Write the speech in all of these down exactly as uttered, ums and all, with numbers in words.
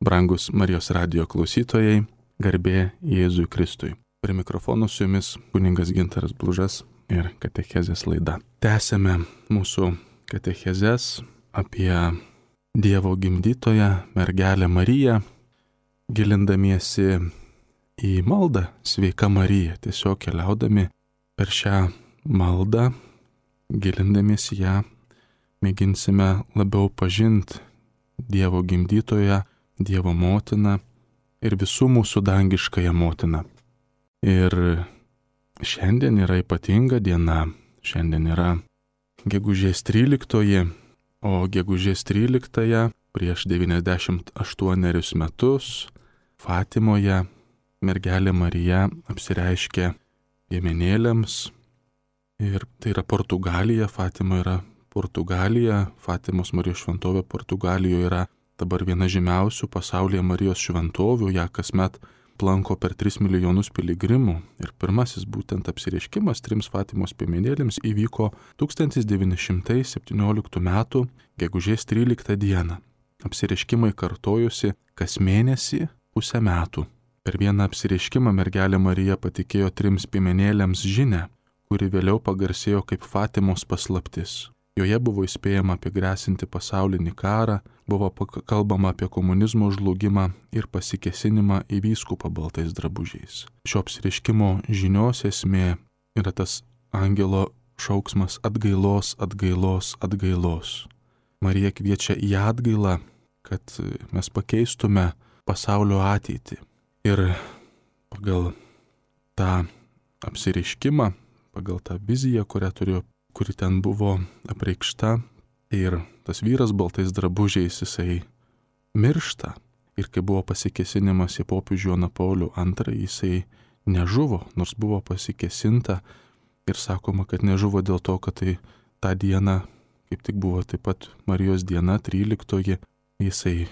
Brangus Marijos radijo klausytojai, garbė Jėzui Kristui. Prie mikrofonų su jumis kunigas Gintaras Blužas ir katechezės laida. Tęsėme mūsų katechezės apie Dievo gimdytoją, mergelę Mariją, gilindamiesi į maldą Sveika Marija, tiesiog keliaudami per šią maldą, gilindamiesi ją, mėginsime labiau pažinti Dievo gimdytoją, Dievo motiną ir visų mūsų dangiškąją motiną. Ir šiandien yra ypatinga diena, šiandien yra gegužės tryliktoji, o gegužės tryliktąją prieš devyniasdešimt aštuonerius metus Fatimoje mergelė Marija apsireiškė piemenėliams. Ir tai yra Portugalija, Fatima yra Portugalija, Fatimos Marijos šventovė Portugalijoje yra dabar viena žymiausių pasaulyje Marijos šventovių, ją kasmet aplanko per tris milijonus piligrimų. Ir pirmasis būtent apsireiškimas trims Fatimos piemenėlėms įvyko tūkstantis devyni šimtai septynioliktų metų gegužės tryliktą dieną. Apsireiškimai kartojosi kas mėnesį pusę metų. Per vieną apsireiškimą mergelė Marija patikėjo trims piemenėlėms žinią, kuri vėliau pagarsėjo kaip Fatimos paslaptis. Joje buvo įspėjama apie grėsinti pasaulinį karą, buvo kalbama apie komunizmo žlugimą ir pasikėsinimą į vyskupą baltais drabužiais. Šio apsireiškimo žinios esmė yra tas angelo šauksmas atgailos, atgailos, atgailos. Marija kviečia į atgailą, kad mes pakeistume pasaulio ateitį. Ir pagal tą apsireiškimą, pagal tą viziją, kurią turėjo, kuri ten buvo apreikšta, ir tas vyras baltais drabužiais jisai miršta. Ir kai buvo pasikėsinimas į popiežių Joną Paulių antrąjį, jisai nežuvo, nors buvo pasikėsinta ir sakoma, kad nežuvo dėl to, kad tai tą dieną, kaip tik buvo taip pat Marijos diena, tryliktoji, jisai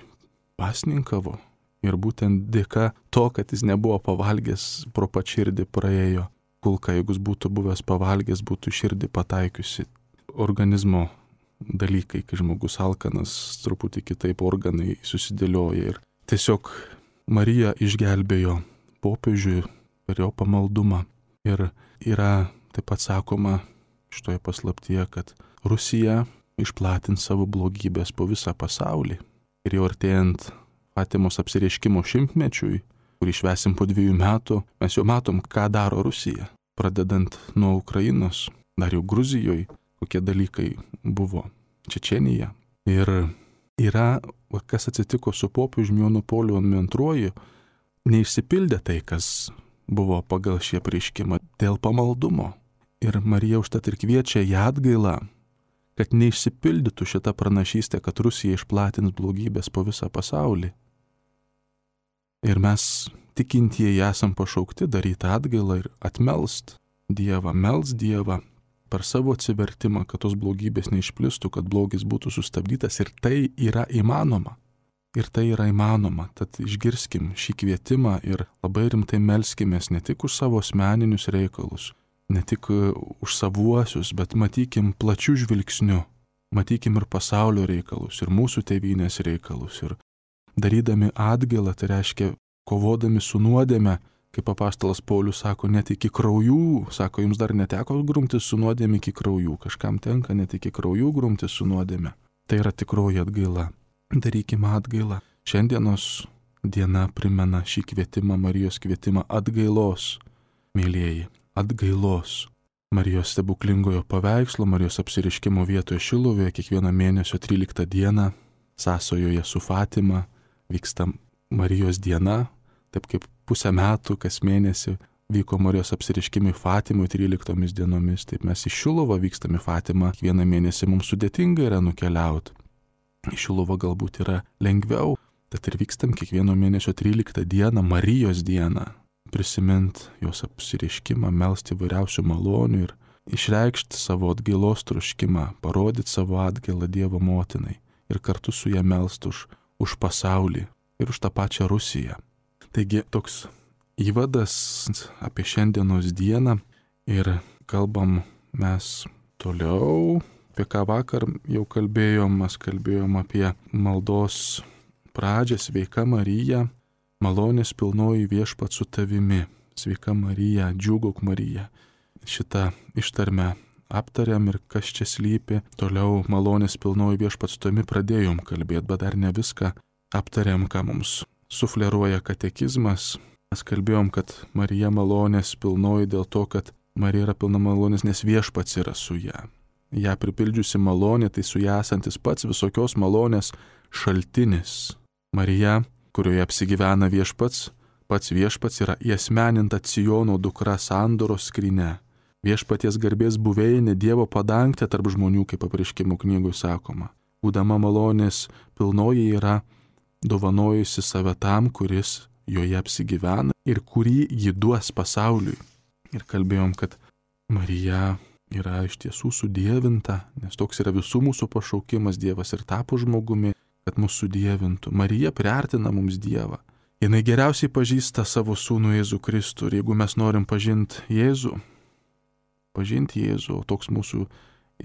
pasninkavo. Ir būtent dėka to, kad jis nebuvo pavalgęs, pro pat širdį praėjo kulka. Jeigu jis būtų buvęs pavalgęs, būtų širdį pataikiusi. Organizmo dalykai, kai žmogus alkanas, truputį kitaip organai susidėlioja. Ir tiesiog Marija išgelbėjo popiežių per jo pamaldumą. Ir yra taip pat sakoma šitoje paslaptyje, kad Rusija išplatins savo blogybės po visą pasaulį. Ir jau artėjant Fatimos apsireiškimo šimtmečiui, kurį švęsim po dviejų metų, mes jau matom, ką daro Rusija. Pradedant nuo Ukrainos, dar jau Gruzijoje, kokie dalykai buvo, Čečėnija. Ir yra, kas atsitiko su popiežiumi Jonu Pauliu antruoju, neišsipildė tai, kas buvo pagal šį apreiškimą dėl pamaldumo. Ir Marija užtat ir kviečia į atgailą, kad neišsipildytų šita pranašystė, kad Rusija išplatins blogybės po visą pasaulį. Ir mes tikintieji esam pašaukti daryti atgailą ir atmelst Dievą, melst Dievą per savo atsivertimą, kad tos blogybės neišplistų, kad blogis būtų sustabdytas. Ir tai yra įmanoma. Ir tai yra įmanoma. Tad išgirskim šį kvietimą ir labai rimtai melskimės ne tik už savo asmeninius reikalus, ne tik už savuosius, bet matykim plačių žvilgsnių. Matykim ir pasaulio reikalus, ir mūsų tėvynės reikalus. Ir darydami atgailą, tai reiškia kovodami su nuodėme, kaip apaštalas Paulius sako, net iki kraujų, sako, jums dar neteko grumtis su nuodėme iki kraujų, kažkam tenka net iki kraujų grumtis su nuodėme. Tai yra tikroji atgaila. Darykime atgailą. Šiandienos diena primena šį kvietimą, Marijos kvietimą atgailos, mėlieji, atgailos. Marijos stebuklingojo paveikslo, Marijos apsireiškimo vietoje Šilovoje kiekvieną mėnesio tryliktą dieną sąsojoje su Fatima vyksta Marijos diena, taip kaip pusę metų kas mėnesį vyko Marijos apsireiškimai Fatimui tryliktomis dienomis, taip mes į Šiluvą vykstame Fatimą, kiekvieną mėnesį mums sudėtinga yra nukeliauti. Į Šiluvą galbūt yra lengviau, tad ir vykstam kiekvieno mėnesio tryliktą dieną, Marijos dieną, prisimint jos apsireiškimą, melsti įvairiausių malonių ir išreikšti savo atgailos troškimą, parodyti savo atgailą Dievo motinai ir kartu su ją melst už, už pasaulį ir už tą pačią Rusiją. Taigi toks įvadas apie šiandienos dieną ir kalbam mes toliau, apie ką vakar jau kalbėjom, mes kalbėjom apie maldos pradžią sveika Marija, malonės pilnoji viešpats su tavimi. Sveika Marija, džiūgauk Marija. Šitą ištarmę aptariam ir kas čia slypi. Toliau malonės pilnoji viešpats su tavimi pradėjom kalbėti, bet dar ne viską aptariam, ką mums sufleruoja katekizmas. Mes kalbėjom, kad Marija malonės pilnoji dėl to, kad Marija yra pilna malonės, nes viešpats yra su ją. Ja pripildžiusi malonė, tai su ją esantis pats visokios malonės šaltinis. Marija, kurioje apsigyvena viešpats, pats viešpats yra įasmeninta Siono dukra sandoros skryne. Viešpaties garbės buveinė Dievo padangtė tarp žmonių, kaip Apreiškimo knygoje sakoma. Būdama malonės pilnoji yra dovanojusi save tam, kuris joje apsigyvena ir kurį ji duos pasauliui. Ir kalbėjom, kad Marija yra iš tiesų sudievinta, nes toks yra visų mūsų pašaukimas, Dievas ir tapo žmogumi, kad mūsų sudievintų. Marija priartina mums Dievą. Jinai geriausiai pažįsta savo sūnų Jėzų Kristų. Ir jeigu mes norim pažinti Jėzų, pažinti Jėzų, o toks mūsų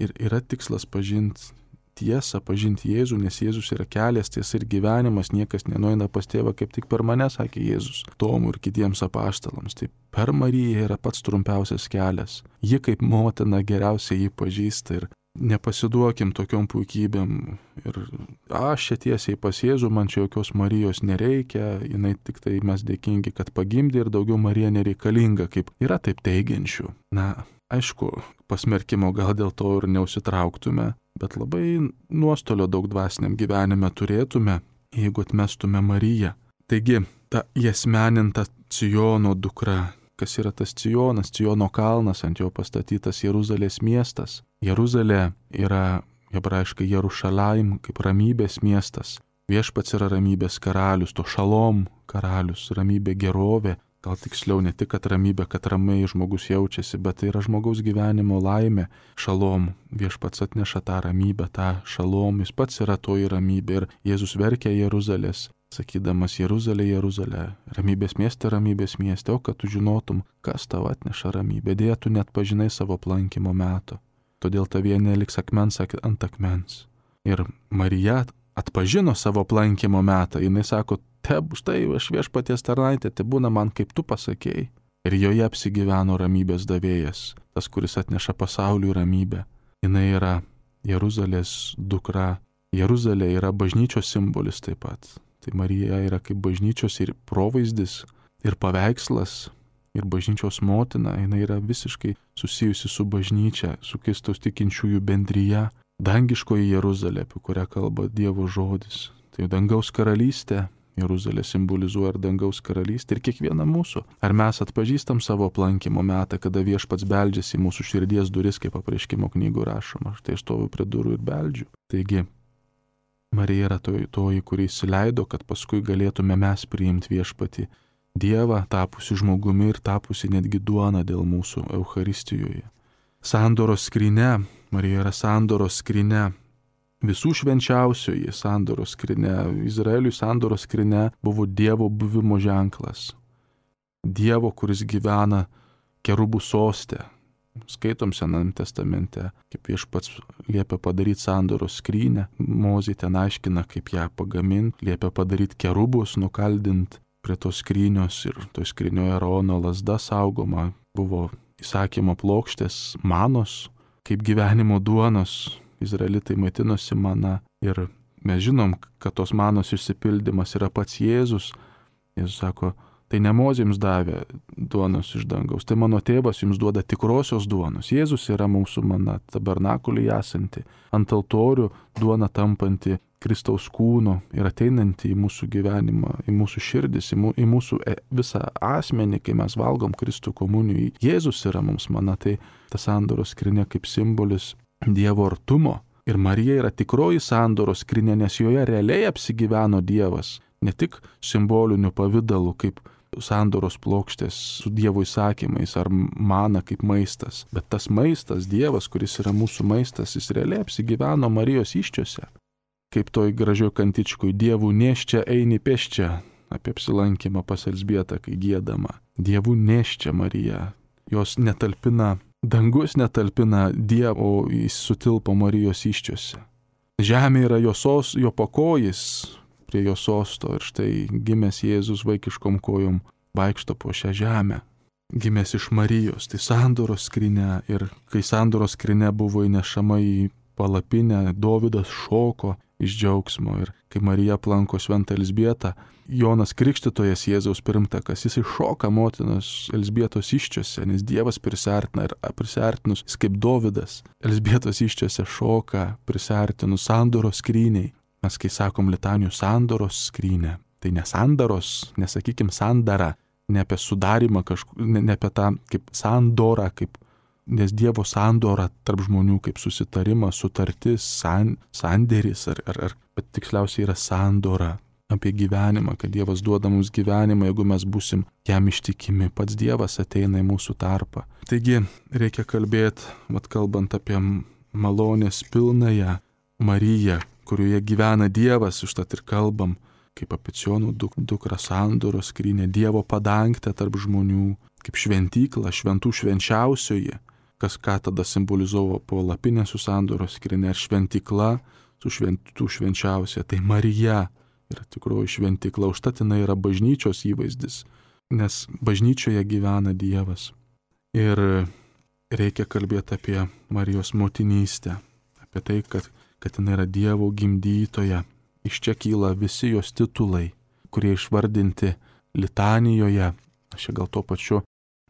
ir yra tikslas pažinti tiesą, pažinti Jėzų, nes Jėzus yra kelias, tiesa ir gyvenimas, niekas nenueina pas tėvą kaip tik per mane, sakė Jėzus, Tomui ir kitiems apaštalams. Tai per Mariją yra pats trumpiausias kelias. Ji kaip motina geriausiai jį pažįsta ir nepasiduokim tokiom puikybėm. Ir aš čia tiesiai pas Jėzų, man čia jokios Marijos nereikia, jinai tik tai mes dėkingi, kad pagimdė ir daugiau Marija nereikalinga, kaip yra taip teigiančių. Na, aišku, pasmerkimo gal dėl to ir neusitrauktume, bet labai nuostolio daug dvasiniam gyvenime turėtume, jeigu atmestume Mariją. Taigi, ta įasmeninta Siono dukra, kas yra tas Sionas, Siono kalnas, ant jo pastatytas Jeruzalės miestas. Jeruzalė yra hebrajiškai Jerušalaim, kaip ramybės miestas. Viešpats yra ramybės karalius, to šalom karalius, ramybė gerovė. Gal tiksliau ne tik, kad ramybė, kad ramiai žmogus jaučiasi, bet tai yra žmogaus gyvenimo laimė. Šalom, viešpats atneša tą ramybę, tą šalom, jis pats yra toji ramybė. Ir Jėzus verkia Jeruzalės, sakydamas Jeruzalė, Jeruzalė, ramybės mieste, ramybės mieste, o kad tu žinotum, kas tau atneša ramybę. Dėja, tu net pažinai savo aplankymo meto. Todėl tavie neliks akmens ant akmens. Ir Marija atpažino savo aplankymo metą. Jinai sako, teb, štai aš viešpaties tarnaitė, te būna man, kaip tu pasakėjai. Ir joje apsigyveno ramybės davėjas, tas, kuris atneša pasauliui ramybę. Jinai yra Jeruzalės dukra. Jeruzalė yra bažnyčios simbolis taip pat. Tai Marija yra kaip bažnyčios ir provaizdis, ir paveikslas, ir bažnyčios motina. Jinai yra visiškai susijusi su bažnyčia, su Kristaus tikinčiųjų bendryje. Dangiškoji Jeruzalė, apie kurią kalba Dievo žodis. Tai dangaus karalystė. Jeruzalė simbolizuoja ir dangaus karalystę ir kiekvieną mūsų. Ar mes atpažįstam savo aplankymo metą, kada viešpats beldžiasi į mūsų širdies duris, kaip Apreiškimo knygų rašoma. Štai aš stoviu prie durų ir beldžiu. Taigi, Marija yra toji, toji, kuri įsileido, kad paskui galėtume mes priimti viešpatį Dievą, tapusi žmogumi ir tapusi netgi duona dėl mūsų Eucharistijoje. Sandoros skryne, Marija yra sandoros skryne. Visų švenčiausioji sandoros skryne, Izraeliui sandoros skryne buvo Dievo buvimo ženklas. Dievo, kuris gyvena kerubų soste. Skaitom Sename testamente, kaip viešpats liepia padaryti sandoros skrynę. Mozė ten aiškina, kaip ją pagaminti, liepia padaryti kerubus, nukaldinti prie tos skrynios ir to skrynioje Arono lazda saugoma. Buvo įsakymo plokštės manos, kaip gyvenimo duonos. Izraelitai maitinosi mana ir mes žinom, kad tos manos išsipildymas yra pats Jėzus. Jėzus sako, tai ne Mozė jums davė duonos iš dangaus, tai mano tėvas jums duoda tikrosios duonos. Jėzus yra mūsų mana, tabernakuliai esanti, ant altorių duona tampanti Kristaus kūno ir ateinanti į mūsų gyvenimą, į mūsų širdis, į, mū, į mūsų visą asmenį, kai mes valgom Kristų komunijai. Jėzus yra mums mana, tai ta sandoros skrynia kaip simbolis Dievo artumo. Ir Marija yra tikroji sandoros skrynia, nes joje realiai apsigyveno Dievas. Ne tik simboliniu pavidalu, kaip sandoros plokštės su Dievo įsakymais ar mana kaip maistas. Bet tas maistas, Dievas, kuris yra mūsų maistas, jis realiai apsigyveno Marijos įsčiose. Kaip toj gražioj kantičkui, Dievų neščia eini pėsčia, apie apsilankymą pas Elzbietą, kai giedama. Dievų neščia Marija. Jos netalpina, dangus netalpina Dievo, jis sutilpo Marijos įsčiose. Žemė yra jo sos, jo pakojis, prie jo sosto ir štai gimęs Jėzus vaikiškom kojom vaikšto po šią žemę. Gimęs iš Marijos, tai sandoros skrynia, ir kai sandoros skrynia buvo įnešama į palapinę, Dovydas šoko iš džiaugsmo, ir kai Marija aplanko šventą Elzbietą, Jonas Krikštytojas, Jėzaus pirmtakas, jis iššoka motinos Elzbietos iščiose, nes Dievas prisiartina, ir prisiartinus, jis kaip Dovydas, Elzbietos iščiose šoka, prisiartinus sandoros skryniai. Mes kai sakom litanijų sandoros skrynė, tai ne sandaros, nesakykim sandara, ne apie sudarimą kažkokį, ne, ne apie tą kaip sandorą, kaip, nes Dievo sandora tarp žmonių kaip susitarimas, sutartis, san, sandėris, ar, ar, ar, bet tiksliausiai yra sandora apie gyvenimą, kad Dievas duoda mums gyvenimą, jeigu mes būsim jam ištikimi, pats Dievas ateina į mūsų tarpą. Taigi reikia kalbėti, vat kalbant apie malonės pilnąją Mariją, kurioje gyvena Dievas, užtat ir kalbam, kaip apie Cionų duk, dukrą sandoros skrynę, Dievo padangtę tarp žmonių, kaip šventyklą, šventų švenčiausioji, kas ką tada simbolizavo palapinė su sandoros skrynia, ir šventykla su šventų švenčiausia. Tai Marija yra tikroji šventykla, užtat jinai yra bažnyčios įvaizdis, nes bažnyčioje gyvena Dievas. Ir reikia kalbėti apie Marijos motinystę, apie tai, kad, kad jinai yra Dievo gimdytoja. Iš čia kyla visi jos titulai, kurie išvardinti litanijoje. Aš čia gal tuo pačiu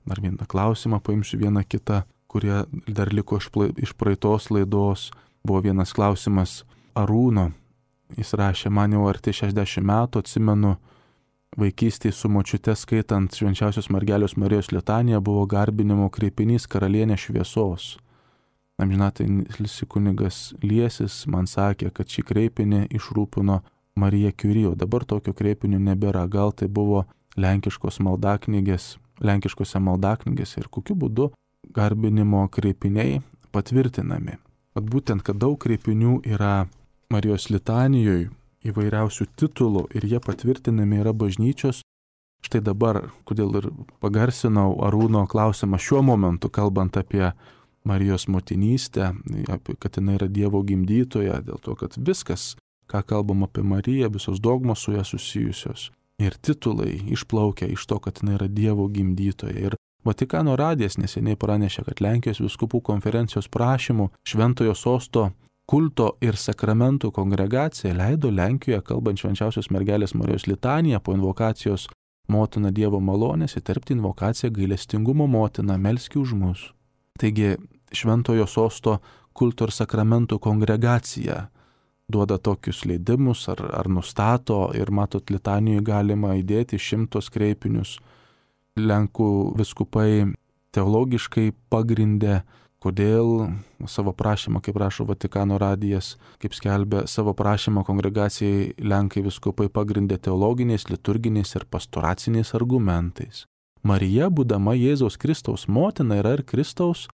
dar vieną klausimą paimsiu, vieną kitą, kurie dar liko iš praeitos laidos. Buvo vienas klausimas Arūno. Jis rašė, man jau arti šešiasdešimt metų, atsimenu, vaikystėje su močiute skaitant Švenčiausios Mergelės Marijos litaniją buvo garbinimo kreipinys Karalienė šviesos. Amžinatilsį kunigas Liesis man sakė, kad šį kreipinį išrūpino Marija Kiuri, o dabar tokio kreipinio nebėra. Gal tai buvo lenkiškos maldaknygės, lenkiškose maldaknygėse, ir kokiu būdu garbinimo kreipiniai patvirtinami. At būtent, kad daug kreipinių yra Marijos litanijoje, įvairiausių titulų, ir jie patvirtinami yra bažnyčios. Štai dabar, kodėl ir pagarsinau Arūno klausimą šiuo momentu, kalbant apie Marijos motinystę, kad jinai yra Dievo gimdytoja, dėl to, kad viskas, ką kalbam apie Mariją, visos dogmos su ją susijusios ir titulai išplaukia iš to, kad jinai yra Dievo gimdytoja. Ir Vatikano radijas neseniai pranešė, kad Lenkijos vyskupų konferencijos prašymų Šventojo sosto kulto ir sakramentų kongregacija leido Lenkijoje, kalbant Švenčiausios Mergelės Marijos litaniją, po invokacijos Motina Dievo malonės įterpti invokaciją Gailestingumo motina, melski už mus. Taigi Šventojo sosto kulto ir sakramentų kongregacija duoda tokius leidimus ar, ar nustato, ir matot, litanijoje galima įdėti šimtos kreipinius. Lenkų viskupai teologiškai pagrindė, kodėl savo prašymą, kaip rašo Vatikano radijas, kaip skelbia savo prašymą kongregacijai, Lenkai viskupai pagrindė teologiniais, liturginiais ir pastoraciniais argumentais. Marija, būdama Jėzaus Kristaus motina, yra ir Kristaus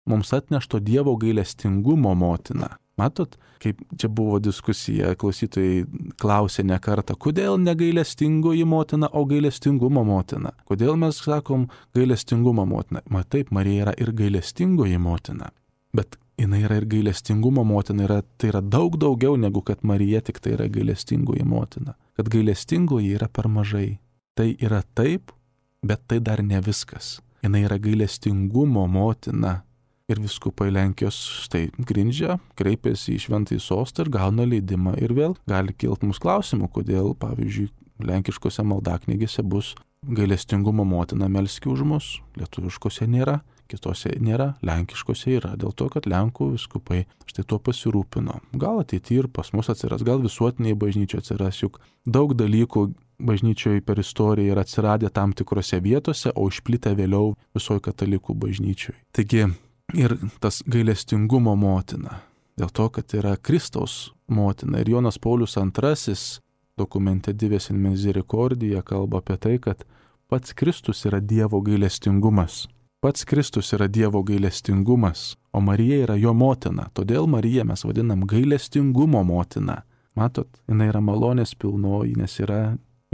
mums atnešto Dievo gailestingumo motina. Matot, kaip čia buvo diskusija, klausytojai klausė ne kartą, kodėl ne gailestingoji motina, o gailestingumo motina. Kodėl mes sakom gailestingumo motina? Ma taip, Marija yra ir gailestingoji motina, bet jinai yra ir gailestingumo motina, yra, tai yra daug daugiau negu kad Marija tik tai yra gailestingoji motina. Kad gailestingoji yra per mažai. Tai yra taip, bet tai dar ne viskas. Jinai yra gailestingumo motina. Ir viskupai Lenkijos štai grindžia, kreipiasi į Šventąjį sostą ir gauna leidimą. Ir vėl gali kilti mums klausimų, kodėl, pavyzdžiui, lenkiškose maldaknygėse bus gailestingumo motina melski už mus, lietuviškose nėra, kitose nėra, lenkiškose yra, dėl to, kad Lenkų viskupai štai tuo pasirūpino. Gal ateityje ir pas mus atsiras, gal visuotiniai bažnyčioje atsiras, juk daug dalykų bažnyčioje per istoriją yra atsiradę tam tikrose vietose, o išplitę vėliau visoje katalikų bažnyčioje. Taigi, ir tas gailestingumo motina, dėl to, kad yra Kristaus motina. Ir Jonas Paulius antrasis dokumente Dives in Misericordia kalba apie tai, kad pats Kristus yra Dievo gailestingumas. Pats Kristus yra Dievo gailestingumas, o Marija yra jo motina. Todėl Mariją mes vadinam gailestingumo motina. Matot, jinai yra malonės pilnoji, nes yra,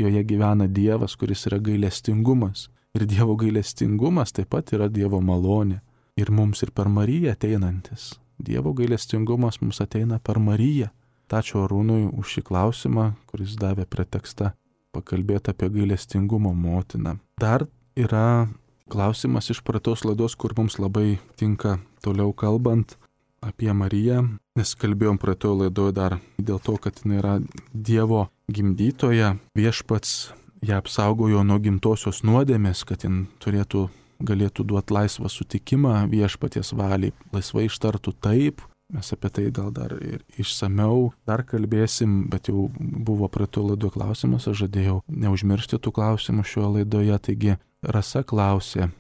joje gyvena Dievas, kuris yra gailestingumas. Ir Dievo gailestingumas taip pat yra Dievo malonė. Ir mums ir per Mariją ateinantis. Dievo gailestingumas mums ateina per Mariją. Bet ačiū Arūnui už šį klausimą, kuris davė pretekstą pakalbėti apie gailestingumo motiną. Dar yra klausimas iš praeitos laidos, kur mums labai tinka toliau kalbant apie Mariją, nes kalbėjom praeitoje laidoje dar dėl to, kad jinai yra Dievo gimdytoja, viešpats ją apsaugojo nuo gimtosios nuodėmės, kad jin turėtų, galėtų duoti laisvą sutikimą viešpaties valiai, laisvai ištartų taip. Mes apie tai gal dar ir išsameu dar kalbėsim, bet jau buvo praeitoje laidoje klausimas, aš žadėjau neužmiršti tų klausimų šioje laidoje. Taigi Rasa klausė,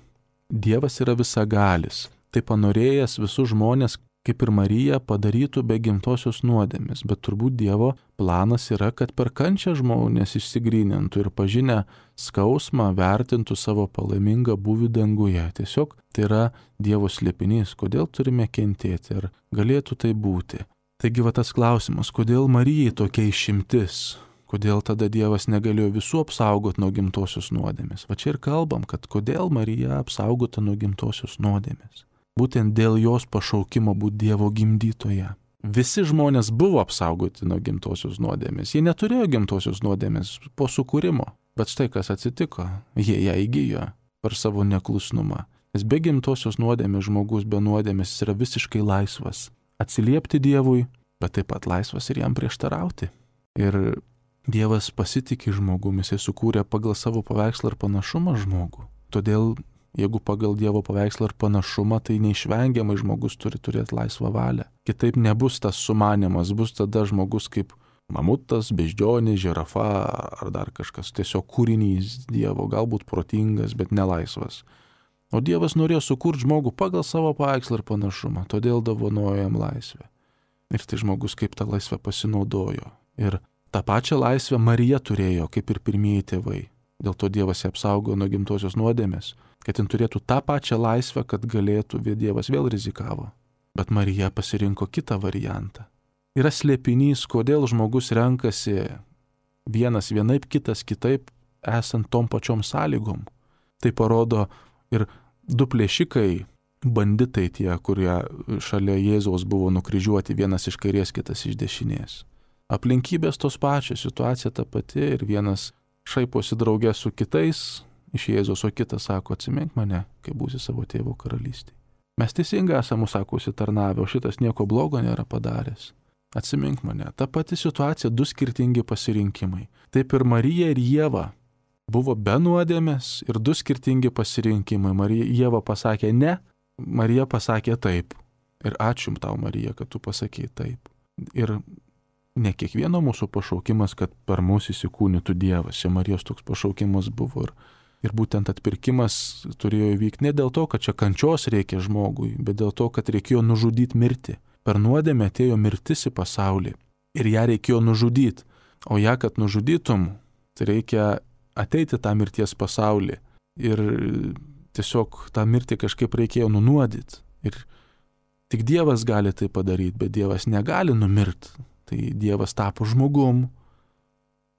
Dievas yra visagalis, tai panorėjęs visus žmonės, kaip ir Marija, padarytų be gimtosios nuodėmės, bet turbūt Dievo planas yra, kad per kančią žmonės išsigrynintų ir pažinę skausmą vertintų savo palaimingą buvį danguje. Tiesiog tai yra Dievo slėpinys, kodėl turime kentėti ir galėtų tai būti. Taigi va tas klausimas, kodėl Marijai tokia išimtis, kodėl tada Dievas negalėjo visų apsaugoti nuo gimtosios nuodėmės. Va čia ir kalbam, kad kodėl Marija apsaugota nuo gimtosios nuodėmės. Būtent dėl jos pašaukimo būti Dievo gimdytoja. Visi žmonės buvo apsaugoti nuo gimtosios nuodėmės. Jie neturėjo gimtosios nuodėmės po sukūrimo. Bet štai kas atsitiko. Jie ją įgijo per savo neklusnumą. Nes be gimtosios nuodėmės žmogus be nuodėmės yra visiškai laisvas. Atsiliepti Dievui, bet taip pat laisvas ir jam prieštarauti. Ir Dievas pasitikė žmogumi, jisai sukūrė pagal savo paveikslą ir panašumą žmogų. Todėl jeigu pagal Dievo paveikslą ir panašumą, tai neišvengiamai žmogus turi turėti laisvą valią. Kitaip nebus tas sumanimas, bus tada žmogus kaip mamutas, beždžionė, žirafa ar dar kažkas, tiesiog kūrinys Dievo, galbūt protingas, bet nelaisvas. O Dievas norėjo sukurti žmogų pagal savo paveikslą ir panašumą, todėl dovanojo jam laisvę. Ir tai žmogus kaip tą laisvę pasinaudojo. Ir tą pačią laisvę Marija turėjo, kaip ir pirmieji tėvai. Dėl to Dievas ją apsaugo nuo gimtosios nuodėmės, kad jin turėtų tą pačią laisvę, kad galėtų, Dievas vėl rizikavo. Bet Marija pasirinko kitą variantą. Yra slėpinys, kodėl žmogus renkasi vienas vienaip, kitas kitaip, esant tom pačiom sąlygom. Tai parodo ir du plėšikai, banditai tie, kurie šalia Jėzaus buvo nukryžiuoti, vienas iš kairės, kitas iš dešinės. Aplinkybės tos pačios, situacija ta pati ir vienas šaiposi draugė su kitais iš Jėzaus, o kitas sako, atsimink mane, kai būsi savo tėvo karalystėje. Mes teisingai esame, sako, užsitarnavę, o šitas nieko blogo nėra padaręs. Atsimink mane. Ta pati situacija, du skirtingi pasirinkimai. Taip ir Marija ir Ieva buvo be nuodėmės ir du skirtingi pasirinkimai. Marija, Ieva pasakė ne, Marija pasakė taip. Ir ačiū tau, Marija, kad tu pasakėjai taip. Ir ne kiekvieno mūsų pašaukimas, kad per mūsų įsikūnytų Dievas. Čia Marijos toks pašaukimas buvo ir, ir būtent atpirkimas turėjo įvykti ne dėl to, kad čia kančios reikia žmogui, bet dėl to, kad reikėjo nužudyti mirtį. Per nuodėmę atėjo mirtis į pasaulį ir ją reikėjo nužudyti. O ją, kad nužudytum, tai reikia ateiti tą mirties pasaulį ir tiesiog tą mirtį kažkaip reikėjo nunuodyti. Ir tik Dievas gali tai padaryti, bet Dievas negali numirti. Tai Dievas tapo žmogum.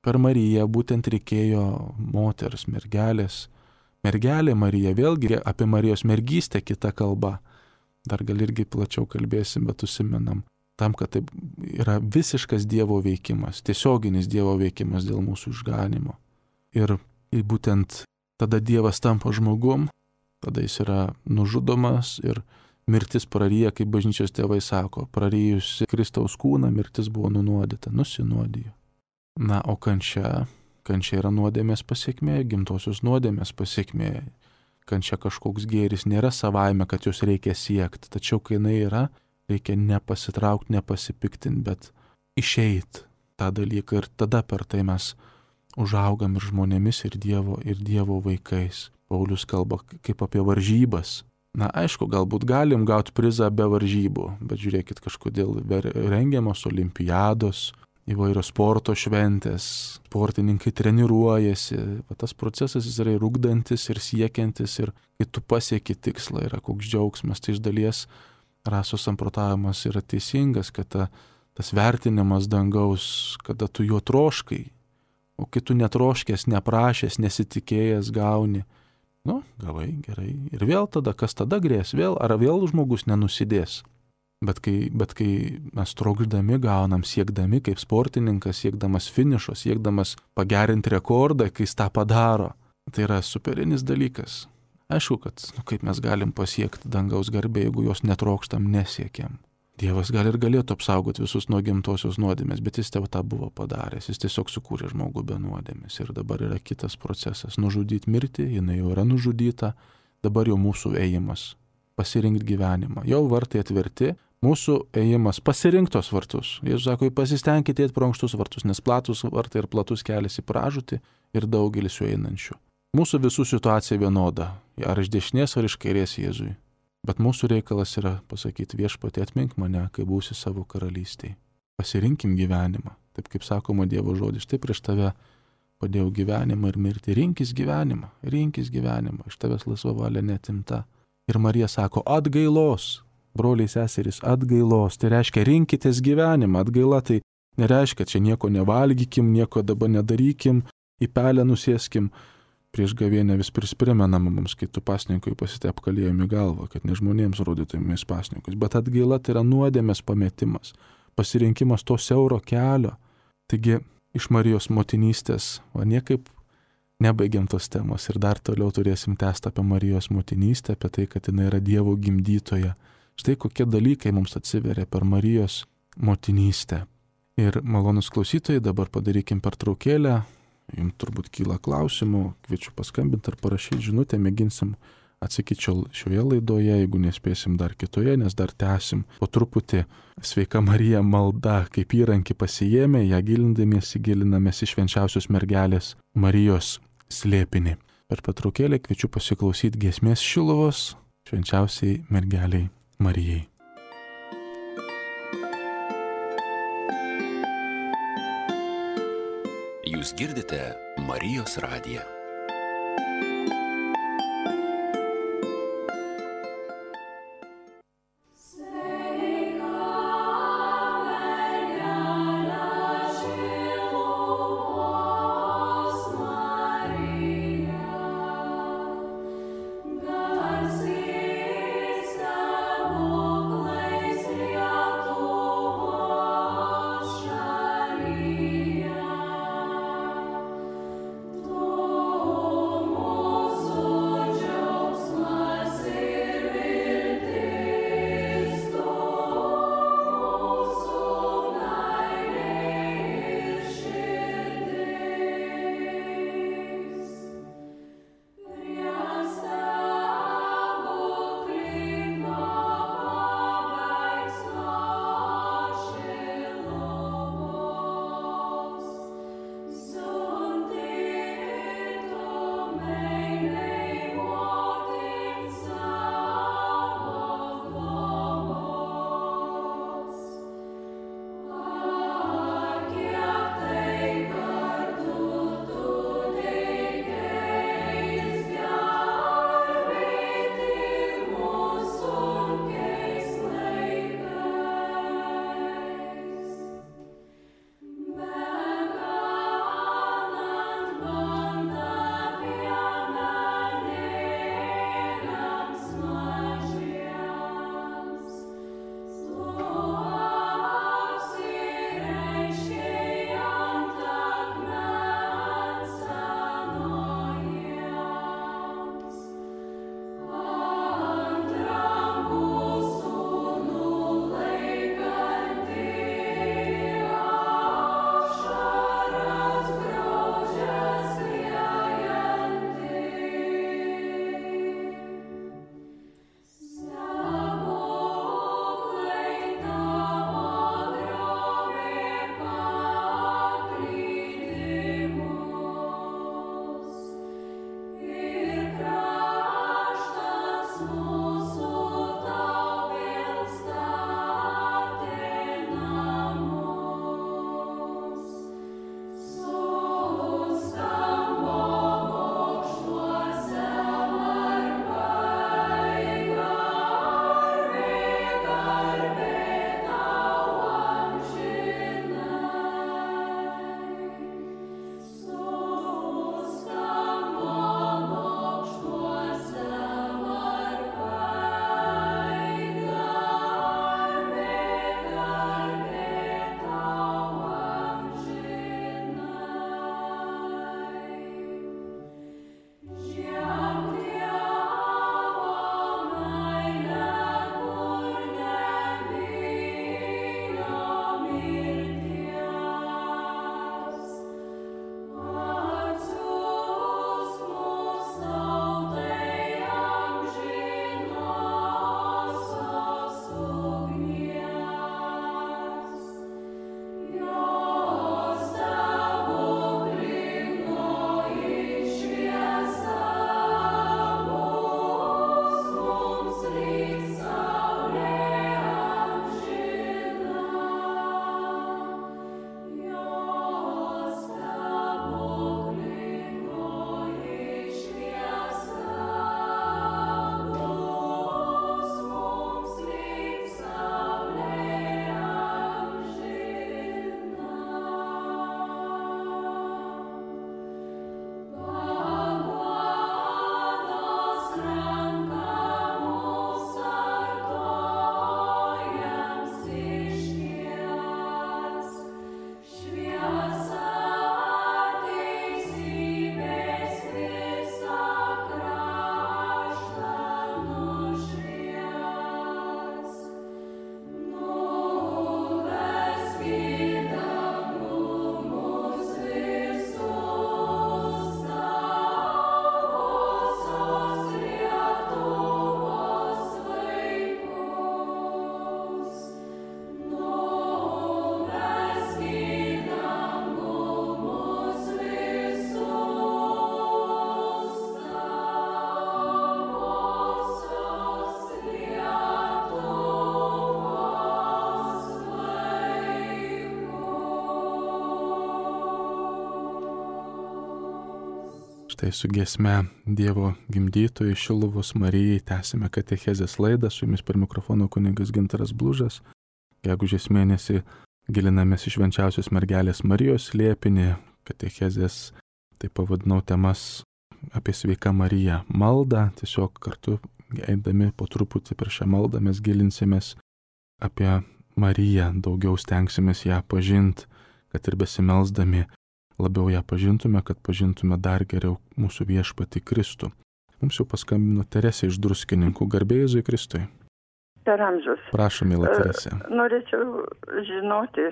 Per Mariją būtent reikėjo moters, mergelės. Mergelė Marija, vėlgi apie Marijos mergystę kita kalba. Dar gal irgi plačiau kalbėsim, bet užsimenam. Tam, kad tai yra visiškas Dievo veikimas, tiesioginis Dievo veikimas dėl mūsų išganimo. Ir būtent tada Dievas tampa žmogum, tada jis yra nužudomas ir mirtis praryja, kaip bažnyčios tėvai sako, praryjusi Kristaus kūną, mirtis buvo nunuodyta, nusinuodijo. Na, o kančia, kančia yra nuodėmės pasiekmė, gimtosios nuodėmės pasiekmė. Kančia kažkoks gėris nėra savaime, kad jos reikia siekti, tačiau kai jinai yra, reikia nepasitraukti, nepasipiktinti, bet išeiti tą dalyką ir tada per tai mes užaugam ir žmonėmis, ir Dievo, ir Dievo vaikais. Paulius kalba kaip apie varžybas. Na, aišku, galbūt galim gauti prizą be varžybų, bet žiūrėkit, kažkodėl rengiamos olimpiados, įvairios sporto šventės, sportininkai treniruojasi, bet tas procesas jis yra ir ugdantis, ir siekiantis, ir kai tu pasieki tikslą, yra koks džiaugsmas, tai iš dalies rasos samprotavimas yra teisingas, kad ta, tas vertinimas dangaus, kada tu jo troškai, o kai tu netroškės, neprašęs, nesitikėjęs gauni, nu, gavai, gerai, ir vėl tada, kas tada grės, vėl, ar vėl žmogus nenusidės. Bet kai, bet kai mes trokšdami gaunam, siekdami kaip sportininkas, siekdamas finišo, siekdamas pagerinti rekordą, kai jis tą padaro, tai yra superinis dalykas. Aišku, kad nu, kaip mes galim pasiekti dangaus garbę, jeigu jos netrokštam, nesiekiam. Dievas gal ir galėtų apsaugoti visus nuo gimtosios nuodėmės, bet jis jau tą buvo padaręs, jis tiesiog sukūrė žmogų be nuodėmės. Ir dabar yra kitas procesas - nužudyti mirtį, jinai jau yra nužudyta, dabar jau mūsų ėjimas - pasirinkti gyvenimą. Jau vartai atverti, mūsų ėjimas - pasirinktos vartus. Jėzus sako, pasistengkite eiti pro ankštus vartus, nes platus vartai ir platus kelias į pražūtį ir daugelis jų einančių. Mūsų visų situacija vienoda, ar iš dešinės, ar iš kairės Jėzui. Bet mūsų reikalas yra pasakyti viešpatie atmink mane, kai būsi savo karalystėje. Pasirinkim gyvenimą. Taip kaip sakoma Dievo žodis, štai prieš tave padėjau gyvenimą ir mirtį. Rinkis gyvenimą, rinkis gyvenimą, iš tavęs laisva valia neatimta. Ir Marija sako, atgailos, broliai seserys, atgailos. Tai reiškia, rinkitės gyvenimą. Atgaila tai nereiškia, čia nieko nevalgykim, nieko dabar nedarykim, į pelę nusėskim. Prieš gavėnę vis primenama mums, kai tu pasninkui pasitep kalėjom į galvą, kad ne žmonėms rodytumės pasninkus. Bet atgaila tai yra nuodėmės pametimas, pasirinkimas to siauro kelio. Taigi iš Marijos motinystės, o niekaip nebaigiam tos temos ir dar toliau turėsim tęsti apie Marijos motinystę, apie tai, kad jinai yra Dievo gimdytoja. Štai kokie dalykai mums atsiveria per Marijos motinystę. Ir malonus klausytojai, dabar padarykim pertraukėlę. Jums turbūt kyla klausimų, kviečiu paskambinti ar parašyti žinutę, mėginsim atsakyti šioje laidoje, jeigu nespėsim dar kitoje, nes dar tęsim po truputį Sveika Marija malda, kaip įrankį pasijėmė, ją gilindamiesi gilinamės į švenčiausios mergelės Marijos slėpinį. Per pertraukėlę kviečiu pasiklausyti giesmės Šiluvos švenčiausiai mergeliai Marijai. Jūs girdite Marijos radiją. Oh Tai su giesme Dievo gimdytojai Šiluvos Marijai tęsime katechezės laidą, su jumis per mikrofono kunigas Gintaras Blužas. Gegužės mėnesį gilinamės į švenčiausios mergelės Marijos slėpinį, katechezės, tai pavadinau temas apie sveiką Mariją maldą, tiesiog kartu eidami po truputį per šią maldą mes gilinsimės apie Mariją, daugiau stengsimės ją pažinti, kad ir besimelsdami labiau ją pažintume, kad pažintume dar geriau mūsų viešpatį Kristų. Mums jau paskambino Teresė iš Druskininkų. Garbė Jėzui Kristui. Per amžius. Prašom, mėla Teresė. Norėčiau žinoti,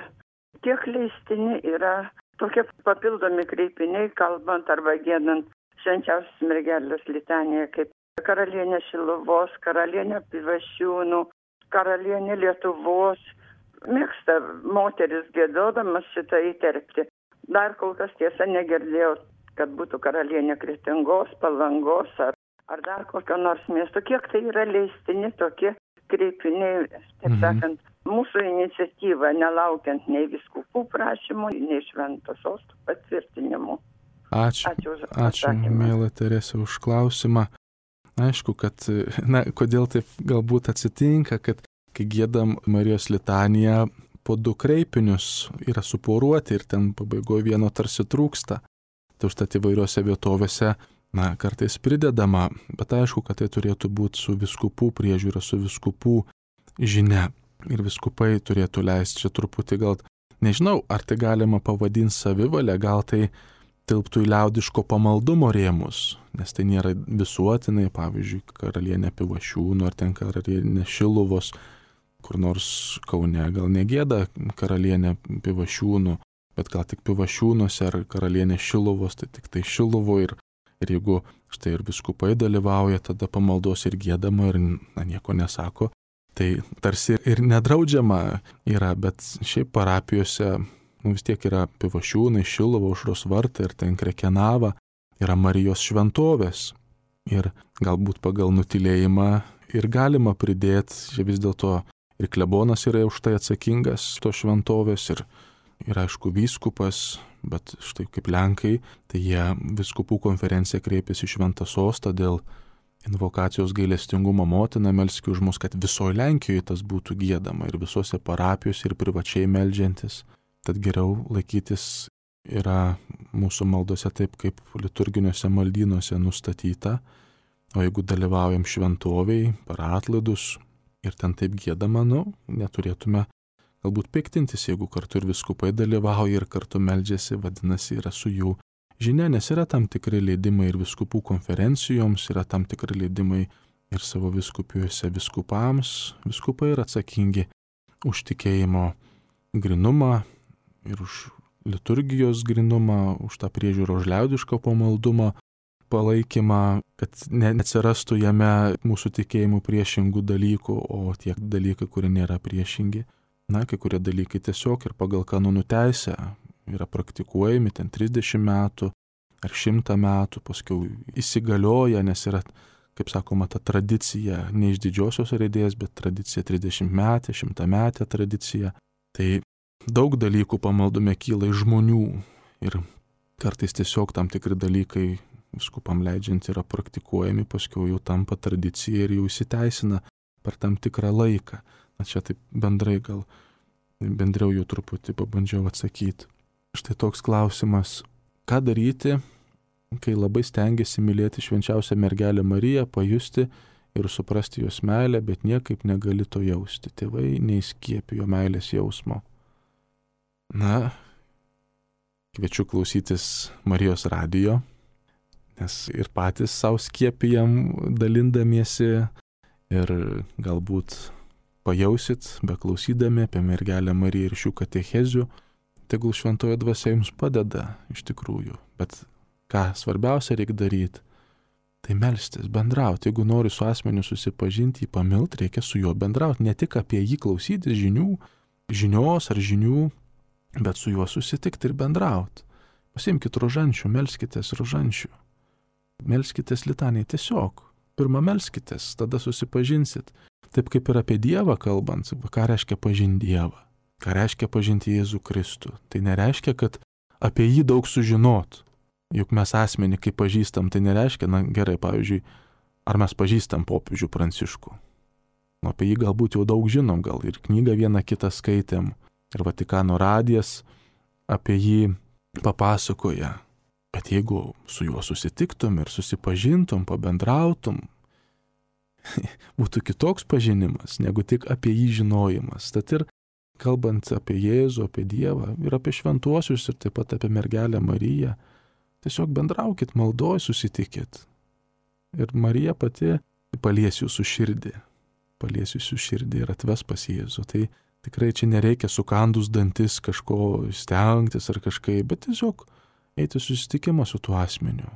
kiek leistini yra tokie papildomi kreipiniai, kalbant arba giedant švenčiausios mergelės litaniją, kaip karalienė Šiluvos, karalienė Pivašiūnų, karalienė Lietuvos. Mėgsta moteris giedodamas šitą įterpti. Dar kol kas tiesa negirdėjau, kad būtų karalienė Kretingos, Palangos ar, ar dar kokio nors miesto. Kiek tai yra leistini tokie kreipiniai, taip sakant, mhm. mūsų iniciatyva, nelaukiant nei vyskupų prašymų, nei švento sosto patvirtinimų. Ačiū, ačiū, už ačiū mėla Teresė, už klausimą. Aišku, kad, na, kodėl taip galbūt atsitinka, kad kai giedam Marijos litaniją, po du kreipinius yra suporuoti ir ten pabaigoje vieno tarsi trūksta. Tai užtat įvairiose vietovėse, na, kartais pridedama, bet aišku, kad tai turėtų būti su vyskupų priežiūra, su vyskupų žinia. Ir vyskupai turėtų leisti čia truputį gal, nežinau, ar tai galima pavadinti savivalę, gal tai tilptų į liaudiško pamaldumo rėmus, nes tai nėra visuotinai, pavyzdžiui, karalienė Pivašiūnų ar ten karalienė Šiluvos, kur nors Kaune gal negėda karalienė Pivašiūnų, bet gal tik Pivašiūnuose ar karalienė Šiluvos, tai tik tai Šiluvo ir, ir jeigu štai ir viskupai dalyvauja, tada pamaldos ir gėdama ir na, nieko nesako, tai tarsi ir nedraudžiama yra, bet šiaip parapijose nu, vis tiek yra Pivašiūnai, Šiluvo, Aušros vartai ir ten Krekenava, yra Marijos šventovės ir galbūt pagal nutylėjimą ir galima pridėti, čia vis dėlto ir klebonas yra už tai atsakingas to šventovės ir, ir aišku vyskupas, bet štai kaip Lenkai, tai jie vyskupų konferencija kreipėsi į Šventą sostą dėl invokacijos gailestingumo motina, melski už mus, kad visoje Lenkijoje tas būtų giedama ir visose parapijose ir privačiai meldžiantis. Tad geriau laikytis yra mūsų maldose taip, kaip liturginiuose maldynuose nustatyta, o jeigu dalyvaujam šventoviai, per atlaidus, ir ten taip giedama, nu, neturėtume galbūt piktintis, jeigu kartu ir viskupai dalyvauja ir kartu meldžiasi, vadinasi, yra su jų žinia, nes yra tam tikri leidimai ir viskupų konferencijoms, yra tam tikri leidimai ir savo viskupijose viskupams. Viskupai yra atsakingi už tikėjimo grinumą ir už liturgijos grinumą, už tą priežiūrą, už liaudišką pamaldumą, palaikymą, kad neatsirastų jame mūsų tikėjimų priešingų dalykų, o tie dalykai, kurie nėra priešingi, na, kai kurie dalykai tiesiog ir pagal kanonų teisę yra praktikuojami ten trisdešimt metų ar šimtą metų, paskui įsigalioja, nes yra, kaip sakoma, ta tradicija, ne iš didžiosios raidės, bet tradicija trisdešimt metė, šimtą metė tradicija. Tai daug dalykų pamaldume kyla iš žmonių ir kartais tiesiog tam tikri dalykai viskupam leidžiant yra praktikuojami, paskui jau tampa tradicija ir jau įsiteisina per tam tikrą laiką. Na čia taip bendrai gal, bendriau jau truputį pabandžiau atsakyti. Štai toks klausimas, ką daryti, kai labai stengiasi mylėti švenčiausią mergelę Mariją, pajusti ir suprasti jos meilę, bet niekaip negali to jausti. Tėvai neįskiepijo meilės jausmo. Na, kviečiu klausytis Marijos radijo, nes ir patys savo skiepijam dalindamiesi ir galbūt pajausit, beklausydami apie mergelę Mariją ir šių katechezių, tegul šventoji dvasia jums padeda iš tikrųjų. Bet ką svarbiausia reikia daryti, tai melstis, bendrauti. Jeigu nori su asmeniu susipažinti, jį pamilti, reikia su juo bendrauti. Ne tik apie jį klausytis žinių, žinios ar žinių, bet su juo susitikti ir bendrauti. Pasiimkite rožančių, melskitės rožančių. Melskitės litaniai tiesiog. Pirmą melskitės, tada susipažinsit. Taip kaip ir apie Dievą kalbant, ką reiškia pažinti Dievą, ką reiškia pažinti Jėzų Kristų. Tai nereiškia, kad apie jį daug sužinot. Juk mes asmenį, kai pažįstam, tai nereiškia, na gerai, pavyzdžiui, ar mes pažįstam popiežių Pranciškų. Nu, apie jį galbūt jau daug žinom, gal ir knygą vieną kitą skaitėm, ir Vatikano radijas apie jį papasakoja. Bet jeigu su juo susitiktum ir susipažintum, pabendrautum, būtų kitoks pažinimas, negu tik apie jį žinojimas. Tad ir kalbant apie Jėzų, apie Dievą ir apie šventuosius ir taip pat apie mergelę Mariją, tiesiog bendraukit, maldoj susitikit. Ir Marija pati palies jūsų širdį, palies jūsų širdį ir atves pas Jėzų. Tai tikrai čia nereikia sukandus dantis kažko stengtis ar kažkaip, bet tiesiog eiti susitikimą su tuo asmeniu.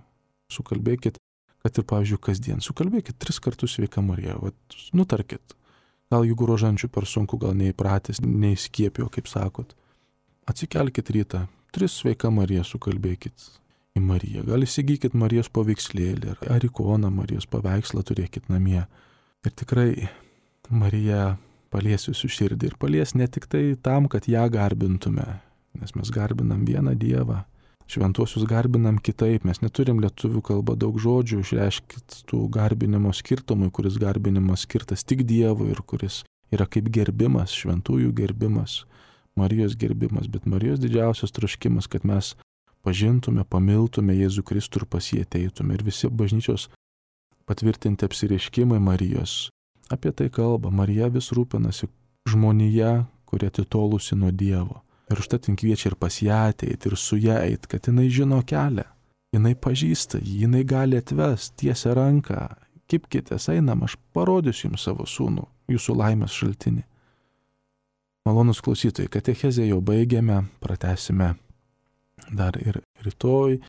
Sukalbėkit, kad ir, pavyzdžiui, kasdien, sukalbėkit tris kartus sveika Marija, vat, nutarkit. Gal jeigu rožančių per sunku, gal neįpratęs, neįskiepijo, kaip sakot. Atsikelkit rytą, tris sveika Marija sukalbėkit į Mariją. Gal įsigykit Marijos paveikslėlį ar ikoną Marijos paveikslą turėkit namie. Ir tikrai Marija palies jūsų širdį ir palies ne tik tai tam, kad ją garbintume, nes mes garbinam vieną Dievą. Šventuosius garbinam kitaip, mes neturim lietuvių kalbą daug žodžių, išreiškit tų garbinimo skirtumui, kuris garbinimas skirtas tik Dievui ir kuris yra kaip gerbimas, šventųjų gerbimas, Marijos gerbimas, bet Marijos didžiausias troškimas, kad mes pažintume, pamiltume Jėzų Kristų ir pas jį ateitume. Ir visi bažnyčios patvirtinti apsireiškimai Marijos apie tai kalba. Marija vis rūpinasi žmonija, kuri atitolusi nuo Dievo. Ir užtat jin kviečia ir pas ją ateiti, ir su ją eiti, kad jinai žino kelią. Jinai pažįsta jį, jinai gali atvest, tiesia ranką. Kipkitės, einam, aš parodysiu jums savo sūnų, jūsų laimės šaltinį. Malonus klausytojai, katechezę jau baigėme, pratęsime dar ir rytoj,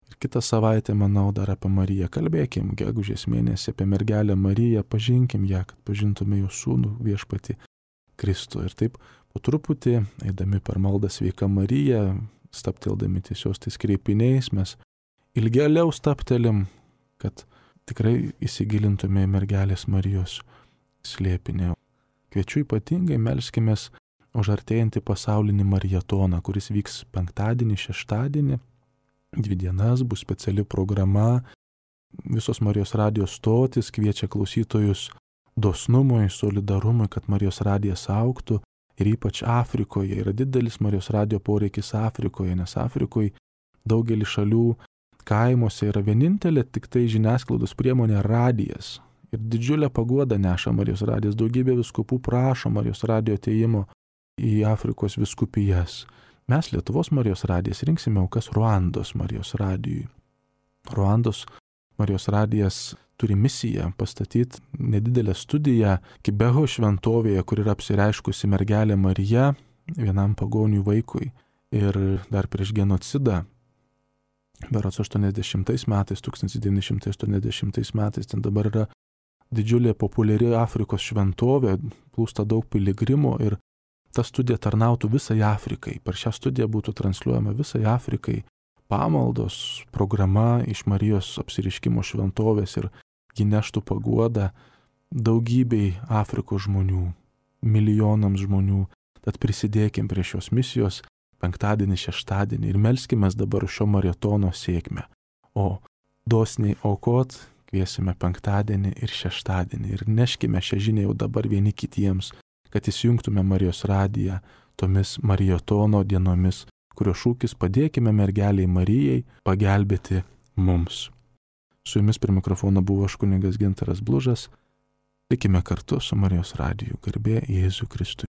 ir kitą savaitę, manau, dar apie Mariją. Kalbėkim gegužės mėnesį apie mergelę Mariją, pažinkim ją, kad pažintume jos sūnų viešpatį Kristų. Ir taip po truputį, eidami per maldą sveika Marija, stapteldami tiesios tais kreipiniais, mes ilgėliau staptelim, kad tikrai įsigilintume į mergelės Marijos slėpinį. Kviečiu ypatingai melskimės už artėjantį pasaulinį marietoną, kuris vyks penktadienį, šeštadienį. Dvi dienas bus speciali programa. Visos Marijos radijos stotis kviečia klausytojus dosnumui, solidarumui, kad Marijos radijas augtų. Ir ypač Afrikoje yra didelis Marijos radijo poreikis Afrikoje, nes Afrikoje daugelį šalių kaimuose yra vienintelė tik tai žiniasklaidos priemonė radijas. Ir didžiulę paguodą neša Marijos radijas. Daugybė vyskupų prašo Marijos radijo atėjimo į Afrikos vyskupijas. Mes Lietuvos Marijos radijas rinksime aukas Ruandos Marijos radijui. Ruandos Marijos radijas turi misiją pastatyti nedidelę studiją Kibeho šventovėje, kur yra apsireiškusi mergelė Marija vienam pagonių vaikui. Ir dar prieš genocidą, berods aštuoniasdešimtais metais, tūkstantis devyni šimtai aštuoniasdešimtais metais, ten dabar yra didžiulė populiari Afrikos šventovė, plūsta daug piligrimų ir ta studija tarnautų visai Afrikai. Per šią studiją būtų transliuojama visai Afrikai pamaldos programa iš Marijos apsireiškimo šventovės ir ji neštų paguodą daugybei Afrikos žmonių, milijonams žmonių. Tad prisidėkim prie šios misijos penktadienį, šeštadienį ir melskimės dabar šio marietono sėkmę. O dosniai aukot kviesime penktadienį ir šeštadienį ir neškime šią žinią jau dabar vieni kitiems, kad įsijungtume Marijos radiją tomis marietono dienomis, kurio šūkis padėkime mergeliai Marijai pagelbėti mums. Su jumis prie mikrofono buvo aš kunigas Gintaras Blužas. Likime kartu su Marijos radiju. Garbė Jėzui Kristui.